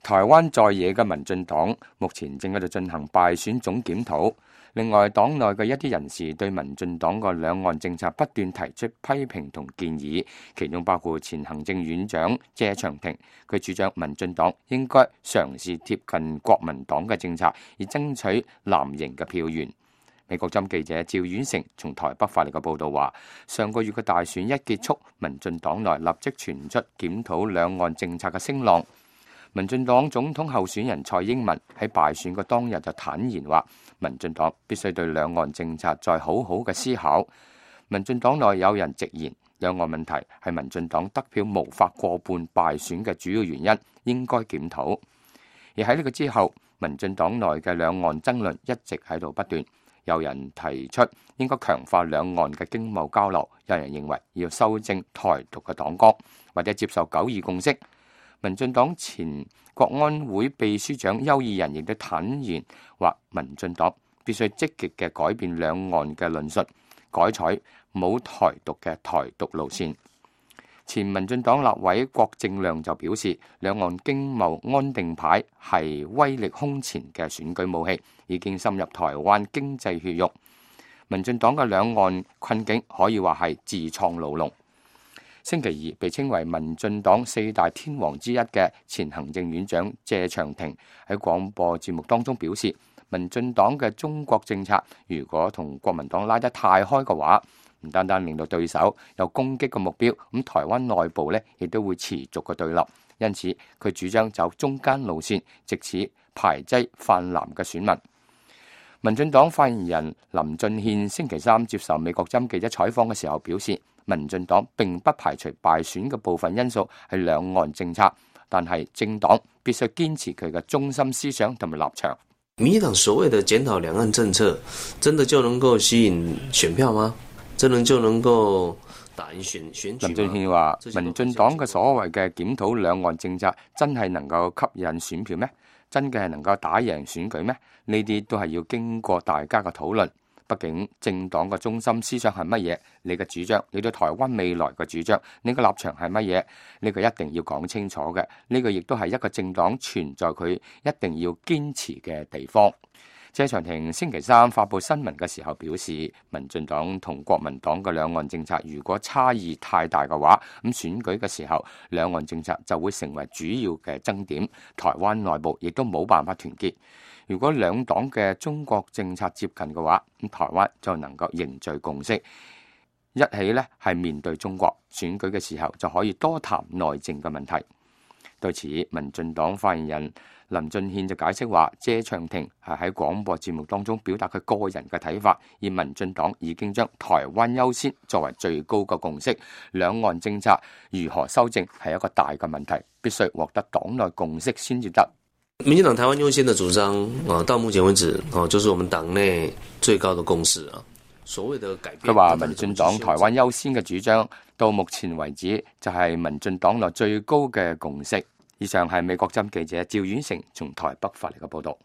台灣在野嘅民進黨目前正喺度進行敗選總檢討。另外，黨內嘅一啲人士對民進黨嘅兩岸政策不斷提出批評同建議，其中包括前行政院長謝長廷，佢主張民進黨應該嘗試貼近國民黨嘅政策，以爭取藍營嘅票源。美國針記者趙遠成從台北發嚟嘅報道話，上個月嘅大選一結束，民進黨內立即傳出檢討兩岸政策嘅聲浪。民進黨總統候選人蔡英文喺敗選嘅當日就坦言話，民進黨必須對兩岸政策再好好嘅思考。民進黨內有人直言，兩岸問題係民進黨得票無法過半敗選嘅主要原因，應該檢討。而喺呢個之後，民進黨內嘅兩岸爭論一直喺度不斷，有人提出應該強化兩岸嘅經貿交流，有人認為要修正台獨嘅黨綱，或者接受九二共識。民進黨前國安會秘書長邱義仁亦都坦言話，民進黨必須積極嘅改變兩岸嘅論述，改採冇台獨嘅台獨路線。前民進黨立委郭正亮就表示，兩岸經貿安定牌係威力空前嘅選舉武器，已經深入台灣經濟血肉。民進黨嘅兩岸困境可以話係自創牢籠。星期二被稱為民進黨四大天王之一嘅前行政院長謝長廷喺廣播節目當中表示，民進黨嘅中國政策如果同國民黨拉得太開嘅話，唔單單令到對手有攻擊嘅目標，咁台灣內部呢亦都會持續嘅對立。因此佢主張走中間路線，藉此排擠泛藍嘅選民。民進黨發言人林俊憲星期三接受美國針記者採訪嘅時候表示，民進黨並不排除敗選嘅部分因素係兩岸政策，但係政黨必須堅持佢嘅中心思想同埋立場。民進黨所謂的檢討兩岸政策，真的就能夠吸引選票嗎？真的就能夠打贏選舉嗎？林俊憲話，民進黨嘅所謂嘅檢討兩岸政策，真係能夠吸引選票咩？真嘅係能夠打贏選舉咩？呢啲都係要經過大家嘅討論。畢竟政黨嘅中心思想係乜嘢？你嘅主張，你對台灣未來嘅主張，你嘅立場係乜嘢？呢個一定要講清楚嘅。呢個亦都係一個政黨存在佢一定要堅持嘅地方。謝長廷星期三發布新聞嘅時候表示，民進黨同國民黨嘅兩岸政策如果差異太大嘅話，咁選舉嘅時候兩岸政策就會成為主要嘅爭點，台灣內部亦都冇辦法團結。如果兩黨嘅中國政策接近嘅話，咁台灣就能夠凝聚共識，一起呢係面對中國選舉嘅時候就可以多談內政嘅問題。對此，民進黨發言人林俊憲就解釋話，謝長廷係喺廣播節目當中表達佢個人嘅睇法，而民進黨已經將台灣優先作為最高嘅共識，兩岸政策如何修正係一個大嘅問題，必須獲得黨內共識先至得。民進黨台灣優先的主張到目前為止就是我們黨內最高的共識啊。所謂的改變，佢話民進黨台灣優先嘅主張到目前為止就係民進黨內最高嘅共識。以上係美國針記者趙遠成從台北發嚟嘅報道。